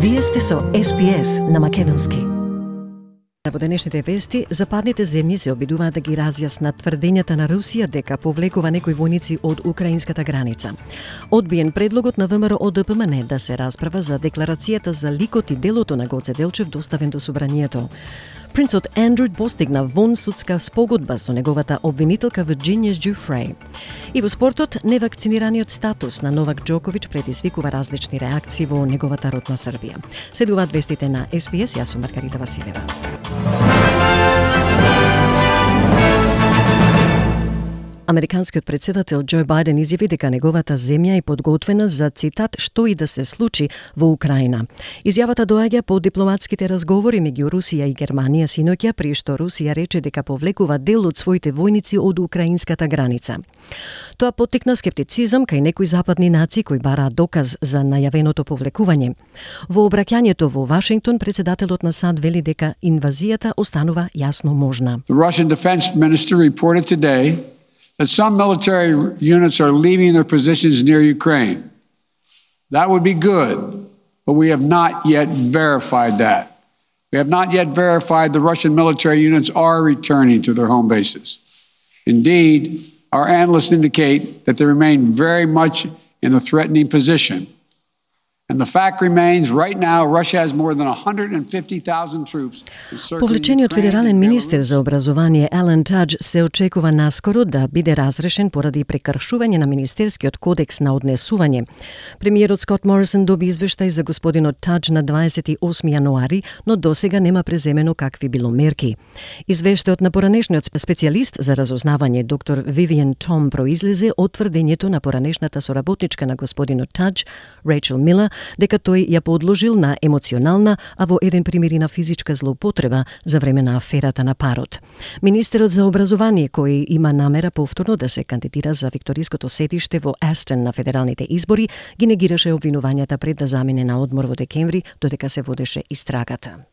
Вие сте со SPS на македонски. Во денешните вести, западните земји се обидуваат да ги разјаснат тврдењата на Русија дека повлекува некои војници од украинската граница. Одбиен предлогот на ВМРО ДПМН да се расправа за декларацијата за ликот и делото на Гоце Делчев доставен до собранието. Принцот Андрю постигна вонсудска спогодба со неговата обвинителка Вирџинија Џуфреј. И во спортот, невакцинираниот статус на Новак Џоковиќ предизвикува различни реакции во неговата родна Србија. Следуваат вестите на SPS, јас сум Маргарита Василева. Американскиот председател Џо Бајден изјави дека неговата земја е подготвена за, цитат, што и да се случи во Украина. Изјавата доаѓа по дипломатските разговори меѓу Русија и Германија синоќа, при што Русија рече дека повлекува дел од своите војници од украинската граница. Тоа поттикна скептицизам кај некои западни нации кои бараат доказ за најавеното повлекување. Во обраќањето во Вашингтон, председателот на САД вели дека инвазијата останува јасно можна. The Russian defense minister reported today that some military units are leaving their positions near Ukraine. That would be good, but we have not yet verified that. We have not yet verified the Russian military units are returning to their home bases. Indeed, our analysts indicate that they remain very much in a threatening position. And the fact remains, right now, Russia has more than 150,000 troops. Повлечениот федерален министер за образование Ален Тадж се очекува наскоро да биде разрешен поради прекршување на Министерскиот кодекс на однесување. Премиерот Скот Морисон доби извештај за господинот Тадж на 28 јануари, но досега нема преземено какви било мерки. Извештајот на поранешниот специјалист за разузнавање доктор Вивиан Том произлезе од тврдењето на поранешната соработничка на господинот Тадж, Рейчел Милер, дека тој ја подложил на емоционална, а во еден пример и на физичка злоупотреба за време на аферата на парот. Министерот за образование, кој има намера повторно да се кандидира за викториското сетиште во Астон на федералните избори, ги негираше обвинувањата пред да замине на одмор во декември, додека се водеше истрагата.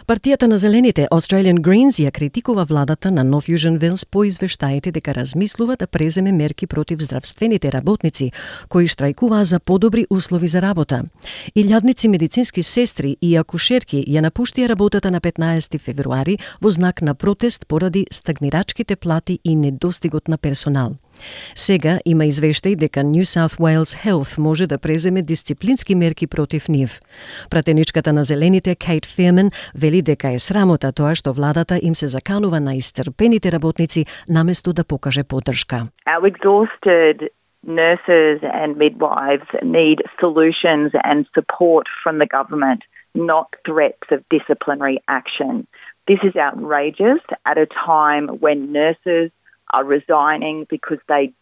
Партијата на Зелените, Australian Greens, ја критикува владата на Нов Јужен Велс по извештаите дека размислува да преземе мерки против здравствените работници, кои штрајкуваа за подобри услови за работа. Илјадници медицински сестри и акушерки ја напуштија работата на 15 февруари во знак на протест поради стагнирачките плати и недостигот на персонал. Сега има извештај дека New South Wales Health може да преземе дисциплински мерки против нив. Пратеничката на Зелените Кейт Фирман вели дека е срамота тоа што владата им се заканува на исцрпените работници наместо да покаже поддршка. Our exhausted nurses and midwives need solutions and support from the government, not threats of disciplinary action. This is outrageous at a time when nurses are resigning because they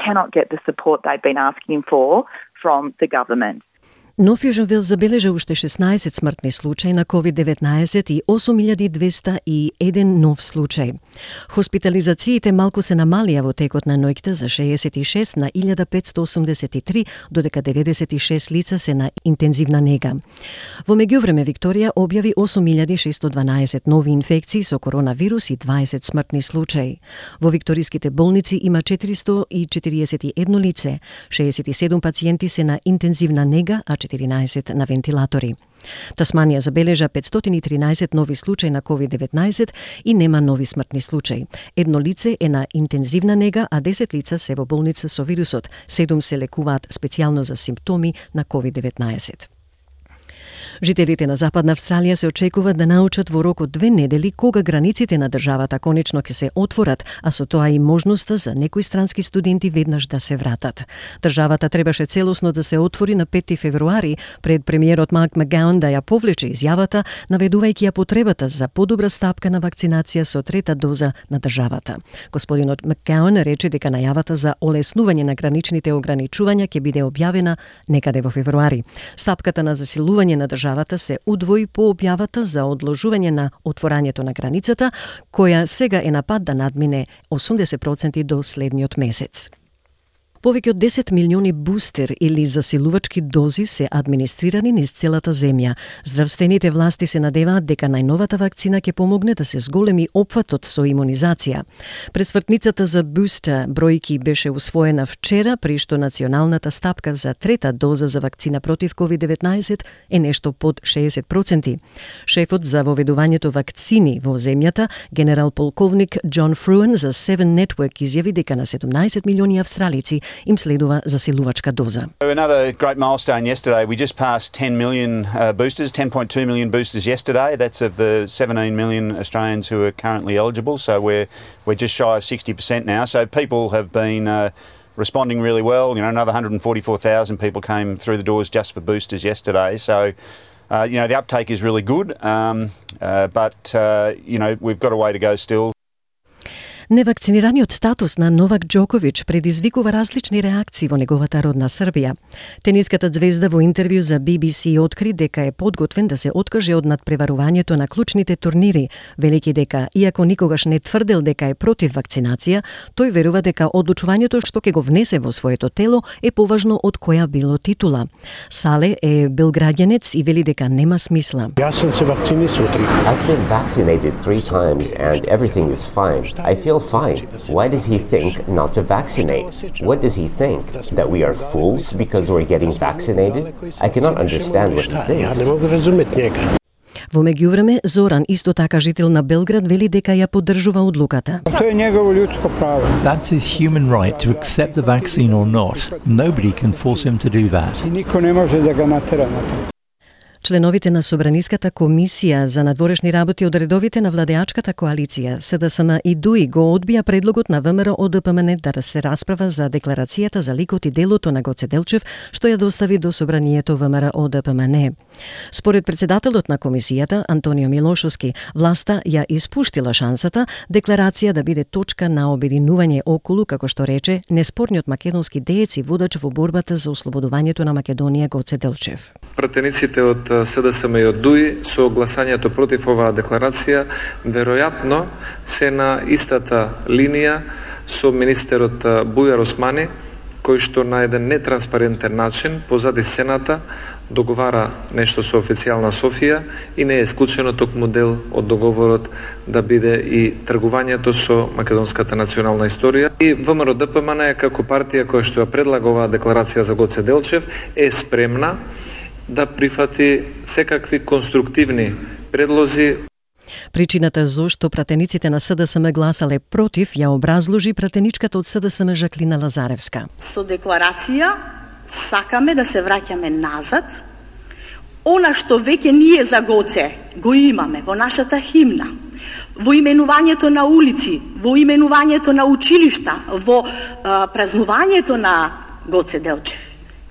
cannot get the support they've been asking for from the government. Нов Јужен Велс забележа уште 16 смртни случаи на COVID-19 и 8201 нов случај. Хоспитализациите малку се намалија во текот на ноќта за 66 на 1583, додека 96 лица се на интензивна нега. Во меѓувреме Викторија објави 8612 нови инфекции со коронавирус и 20 смртни случаи. Во викториските болници има 441 лице, 67 пациенти се на интензивна нега, а 14 на вентилатори. Тасманија забележа 513 нови случаи на COVID-19 и нема нови смртни случаи. Едно лице е на интензивна нега, а 10 лица се во болница со вирусот. 7 се лекуваат специјално за симптоми на COVID-19. Жителите на Западна Австралија се очекуваат да научат во рок од 2 недели кога границите на државата конечно ќе се отворат, а со тоа и можноста за некои странски студенти веднаш да се вратат. Државата требаше целосно да се отвори на 5 февруари, пред премиерот Марк Макгауан да ја повлече изјавата, наведувајќи ја потребата за подобра стапка на вакцинација со трета доза на државата. Господинот Макгауан рече дека најавата за олеснување на граничните ограничувања ќе биде објавена некаде во февруари. Стапката на засилување на државата се удвои по објавата за одложување на отворањето на границата, која сега е на пат да надмине 80% до следниот месец. Повеќе од 10 милиони бустер или засилувачки дози се администрирани низ целата земја. Здравствените власти се надеваат дека најновата вакцина ќе помогне да се зголеми опфатот со имунизација. Пресвртницата за бустер бројки беше усвоена вчера, при што националната стапка за трета доза за вакцина против COVID-19 е нешто под 60%. Шефот за воведувањето вакцини во земјата, генерал полковник Џон Фруен за Seven Network изјави дека на 17 милиони австралици им следува засилувачка доза. Another great milestone yesterday. We just passed 10 million boosters, 10.2 million boosters yesterday. That's of the 17 million Australians who are currently eligible. So we're just shy of 60% now. So people have been responding really well. You know, another 144,000 people came through the doors just for boosters yesterday. So the uptake is really good, but we've got a way to go still. Невакцинираниот статус на Новак Џоковиќ предизвикува различни реакции во неговата родна Србија. Тениската звезда во интервју за BBC откри дека е подготвен да се откаже од надпреварувањето на клучните турнири, велики дека, иако никогаш не тврдел дека е против вакцинација, тој верува дека одлучувањето што ќе го внесе во своето тело е поважно од која било титула. Сале е белграѓанец и вели дека нема смисла. Јас сум се вакцинисал 3 пати. I've been vaccinated 3 times and everything is fine. I feel fine. Why does he think not to vaccinate? What does he think? That we are fools because we're getting vaccinated? I cannot understand what he thinks. Во меѓувреме, Зоран, исто така жител на Белград, вели дека ја поддржува одлуката. Тоа е негово људско право. That's his human right to accept the vaccine or not. Nobody can force him to do that. И никој не може да го натера на тоа. Членовите на Собраниската комисија за надворешни работи од редовите на владеачката коалиција СДСМ и ДУИ го одбија предлогот на ВМРО ОДПМН да се расправа за декларацијата за ликот и делото на Гоце Делчев, што ја достави до Собранието ВМРО ОДПМН. Според председателот на комисијата Антонио Милошовски, власта ја испуштила шансата декларација да биде точка на обединување околу, како што рече, неспорниот македонски деец и водач во борбата за ослободувањето на Македонија Гоце Делчев. Пратениците од СДСМ и од ДУИ со гласањето против оваа декларација веројатно се на истата линија со министерот Бујар Османи, кој што на еден нетранспарентен начин позади сцената договара нешто со официјална Софија и не е исклучено токму дел од договорот да биде и тргувањето со македонската национална историја. И ВМРО ДПМН како партија која што ја предлага оваа декларација за Гоце Делчев е спремна да прифати секакви конструктивни предлози. Причината зошто пратениците на СДСМ гласале против ја образложи пратеничката од СДСМ Жаклина Лазаревска. Со декларација сакаме да се враќаме назад. Она што веќе ние за Гоце го имаме во нашата химна, во именувањето на улици, во именувањето на училишта, во празнувањето на Гоце Делчев.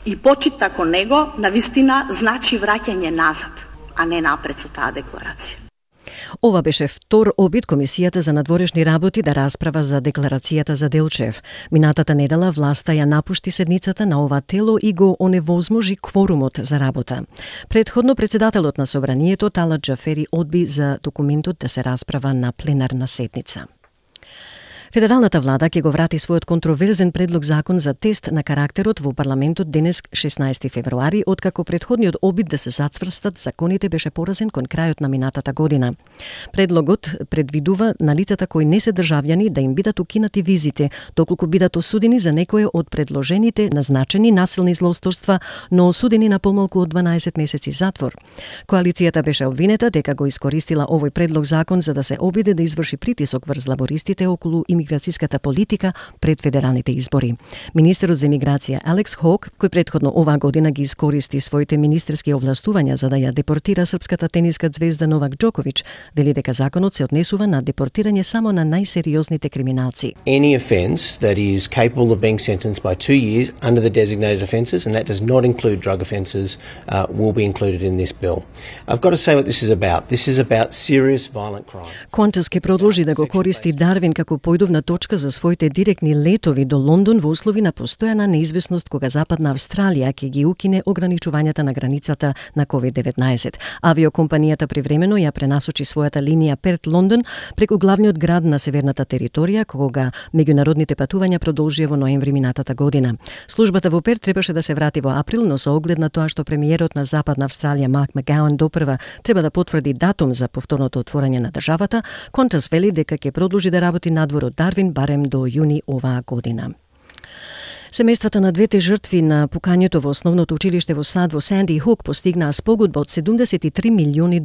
И почита кон него, навистина, значи враќање назад, а не напред со таа декларација. Ова беше втор обид Комисијата за надворешни работи да расправа за декларацијата за Делчев. Минатата недела власта ја напушти седницата на ова тело и го оневозможи кворумот за работа. Предходно председателот на Собранието Талат Џафери одби за документот да се расправа на пленарна седница. Федералната влада ќе го врати својот контроверзен предлог закон за тест на карактерот во парламентот денес 16 февруари, откако предходниот обид да се зацврстат законите беше поразен кон крајот на минатата година. Предлогот предвидува на лицата кои не се државјани да им бидат укинати визите, доколку бидат осудени за некое од предложените назначени насилни злосторства, но осудени на помалку од 12 месеци затвор. Коалицијата беше обвинета дека го искористила овој предлог закон за да се обиде да изврши притисок врз лабористите околу имиграцијската политика пред федералните избори. Министерот за имиграција Алекс Хок, кој предходно оваа година ги искористи своите министерски овластувања за да ја депортира српската тениска звезда Новак Џоковиќ, вели дека законот се однесува на депортирање само на најсериозните криминалци. Any offence that is capable of being sentenced by 2 years under the designated offences, and that does not include drug offences, will be included in this bill. I've got to say what this is about. This is about serious violent crime. Qantas ке продолжи да го користи Дарвин како појдовник главна точка за своите директни летови до Лондон во услови на постојана неизвестност кога Западна Австралија ќе ги укине ограничувањата на границата на COVID-19. Авиокомпанијата привремено ја пренасочи својата линија Перт-Лондон преку главниот град на северната територија, кога меѓународните патувања продолжија во ноември минатата година. Службата во Перт требаше да се врати во април, но со оглед на тоа што премиерот на Западна Австралија Марк Макгауан допрва треба да потврди датум за повторното отворање на државата, Qantas вели дека ќе продолжи да работи надвор од Дарвин барем до јуни оваа година. Семејствата на двете жртви на пукањето во основното училиште во САД во Санди Хук постигнаа спогодба од $73 милиони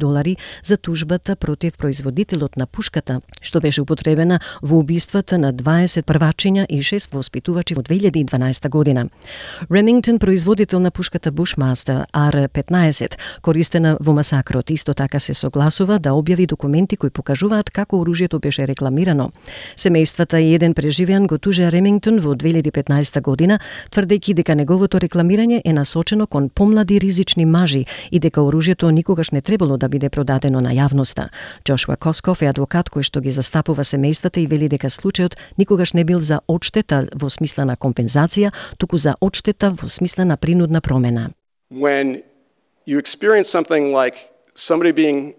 за тужбата против производителот на пушката, што беше употребена во убиствата на 20 првачиња и 6 воспитувачи во 2012 година. Ремингтон, производител на пушката Bushmaster R-15, користена во масакрот, исто така се согласува да објави документи кои покажуваат како оружјето беше рекламирано. Семејствата и еден преживеан го тужеа Ремингтон во 2015 година, тврдејќи дека неговото рекламирање е насочено кон помлади ризични мажи и дека оружјето никогаш не требало да биде продадено на јавноста. Джошуа Косков е адвокат кој што ги застапува семејствата и вели дека случајот никогаш не бил за одштета во смисла на компензација, туку за одштета во смисла на принудна промена. When you experience something like somebody being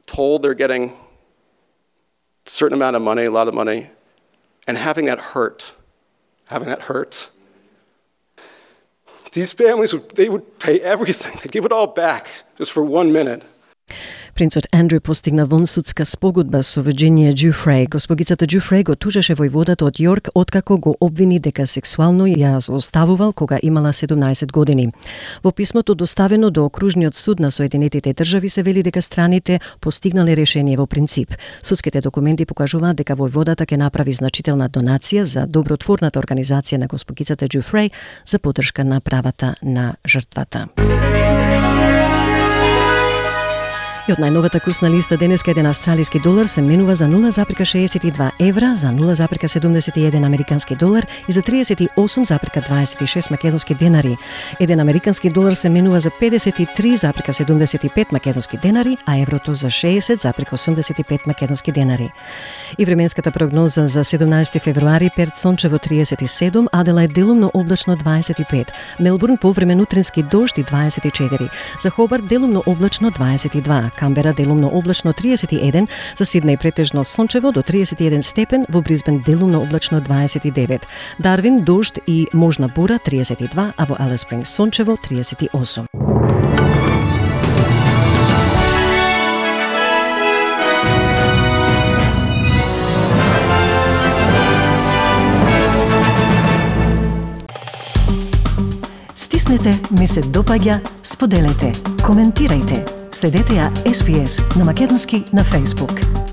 told they're getting a certain amount of money, a lot of money, and having that hurt, these families, they would pay everything. They give it all back just for 1 minute. Принцот Андрю постигна вонсудска спогодба со Вирџинија Џуфреј. Госпогицата Џуфреј го тужеше војводата од Јорк откако го обвини дека сексуално ја злоставувал кога имала 17 години. Во писмото доставено до Окружниот суд на Соединетите држави се вели дека страните постигнале решение во принцип. Судските документи покажуваат дека војводата ќе направи значителна донација за добротворната организација на госпогицата Џуфреј за поддршка на правата на жртвата. И од најновата курсна листа денеска еден австралиски долар се менува за 0,62 евра, за 0,71 американски долар и за 38,26 македонски денари. Еден американски долар се менува за 53,75 македонски денари, а еврото за 60,85 македонски денари. И временската прогноза за 17 февруари: Перт сончево 37, Аделајд делумно облачно 25, Мелбурн повремен утрински дожд и 24, за Хобарт делумно облачно 22, Камбера делумно облачно 31, за Сиднеј претежно сончево до 31 степен, во Брисбен делумно облачно 29, Дарвин дожд и можна бура 32, а во Алис Спрингс сончево 38. Стиснете, ми се допаѓа, споделете, коментирајте. Следете ја SPS на македонски на Facebook.